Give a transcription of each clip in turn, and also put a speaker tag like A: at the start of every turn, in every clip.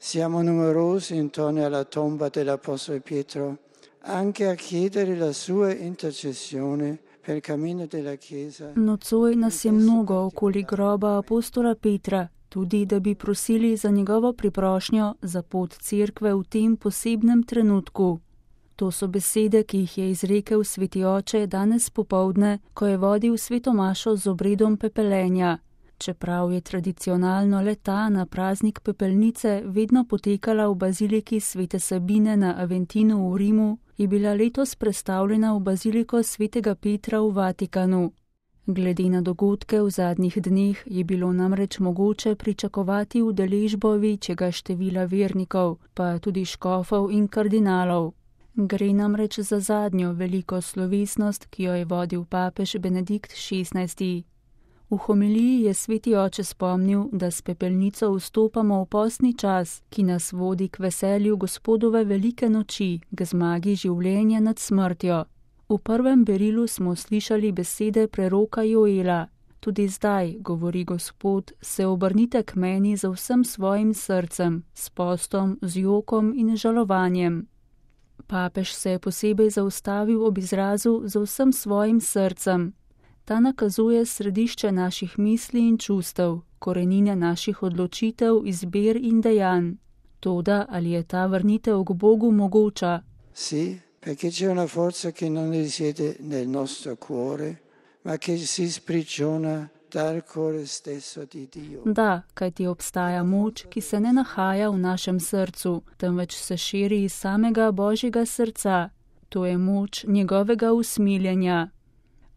A: Siamo numerosi intorno alla tomba dell'Apostolo Pietro, anche a chiedere la sua intercessione per il cammino della Chiesa.
B: Nocoj nas je mnogo okoli groba apostola Petra, tudi da bi prosili za njegovo priprošnjo za pot cerkve v tem posebnem trenutku. To so besede, ki jih je izrekel sveti oče danes popoldne, ko je vodil sveto mašo z obredom pepelenja. Čeprav je tradicionalno le ta na praznik pepelnice vedno potekala v baziliki svete Sabine na Aventinu v Rimu, je bila letos prestavljena v baziliko svetega Petra v Vatikanu. Glede na dogodke v zadnjih dneh je bilo namreč mogoče pričakovati udeležbo večjega števila vernikov, pa tudi škofov in kardinalov. Gre namreč za zadnjo veliko slovesnost, ki jo je vodil papež Benedikt XVI. V homiliji je sveti oče spomnil, da s pepelnico vstopamo v postni čas, ki nas vodi k veselju Gospodove velike noči, k zmagi življenja nad smrtjo. V prvem berilu smo slišali besede preroka Joela. Tudi zdaj, govori Gospod, se obrnite k meni z vsem svojim srcem, s postom, z jokom in žalovanjem. Papež se je posebej zaustavil ob izrazu z vsem svojim srcem. Ta nakazuje središče naših misli in čustev, korenine naših odločitev, izbir in dejanj. Toda ali je ta vrnitev k Bogu mogoča?
A: Sì, perché c'è una forza che non risiede nel nostro cuore, ma che si sprigiona dal cuore stesso di Dio.
B: Da, kajti obstaja moč, ki se ne nahaja v našem srcu, temveč se širi iz samega Božjega srca. To je moč njegovega usmiljenja.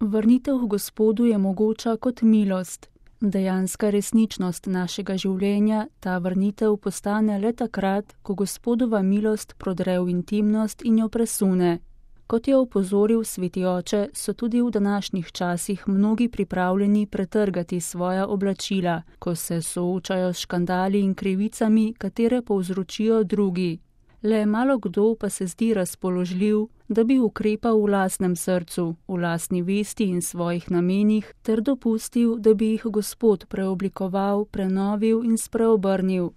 B: Vrnitev k Gospodu je mogoča kot milost. Dejanska resničnost našega življenja, ta vrnitev postane le takrat, ko Gospodova milost prodre v intimnost in jo presune. Kot je opozoril sveti oče, so tudi v današnjih časih mnogi pripravljeni pretrgati svoja oblačila, ko se soočajo s škandali in krivicami, katere povzročijo drugi. Le malo kdo pa se zdi razpoložljiv, da bi ukrepal v lastnem srcu, v lastni vesti in svojih namenih, ter dopustil, da bi jih Gospod preoblikoval, prenovil in spreobrnil.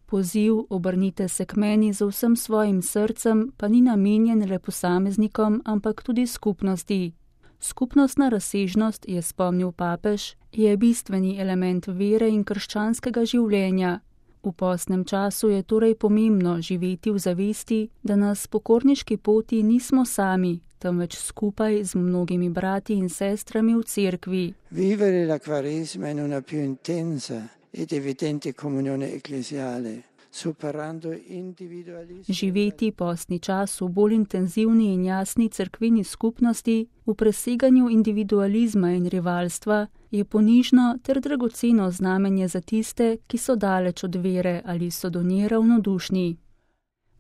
B: Poziv obrnite se k meni z vsem svojim srcem pa ni namenjen le posameznikom, ampak tudi skupnosti. Skupnostna razsežnost, je spomnil papež, je bistveni element vere in krščanskega življenja. V postnem času je torej pomembno živeti v zavesti, da na pokorniški poti nismo sami, temveč skupaj z mnogimi brati in sestrami v cerkvi.
A: Vivere la Quaresima in una più intensa ed evidente comunione ecclesiale, superando individualismo.
B: Živeti postni čas v bolj intenzivni in jasni cerkveni skupnosti, v preseganju individualizma in rivalstva, je ponižno ter dragoceno znamenje za tiste, ki so daleč od vere ali so do nje ravnodušni.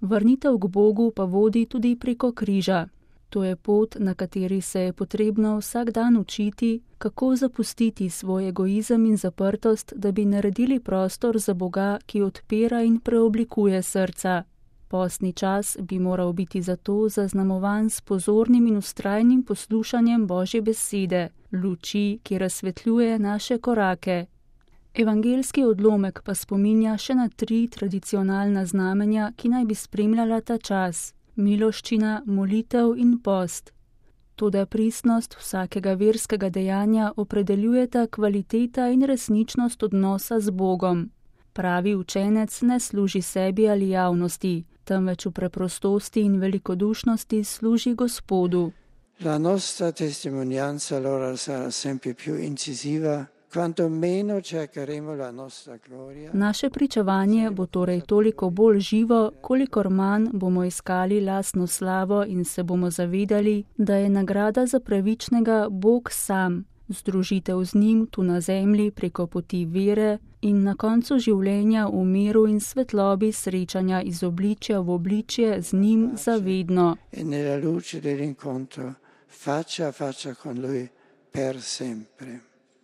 B: Vrnitev k Bogu pa vodi tudi preko križa. To je pot, na kateri se je potrebno vsak dan učiti, kako zapustiti svoj egoizem in zaprtost, da bi naredili prostor za Boga, ki odpira in preoblikuje srca. Postni čas bi moral biti zato zaznamovan s pozornim in vztrajnim poslušanjem Božje besede, luči, ki razsvetljuje naše korake. Evangeljski odlomek pa spominja še na 3 tradicionalna znamenja, ki naj bi spremljala ta čas: miloščina, molitev in post. Toda pristnost vsakega verskega dejanja opredeljujeta kvaliteta in resničnost odnosa z Bogom. Pravi učenec ne služi sebi ali javnosti, temveč v preprostosti in velikodušnosti služi Gospodu.
A: La nostra testimonianza allora sarà sempre più incisiva, quanto meno cercheremo la nostra gloria.
B: Naše pričevanje bo torej toliko bolj živo, kolikor manj bomo iskali lastno slavo in se bomo zavedali, da je nagrada za pravičnega Bog sam, združitev z njim tu na zemlji preko poti vere in na koncu življenja v miru in svetlobi srečanja iz obličja v obličje z njim zavedno.
A: E nella luce dell'incontro faccia a faccia con lui per sempre.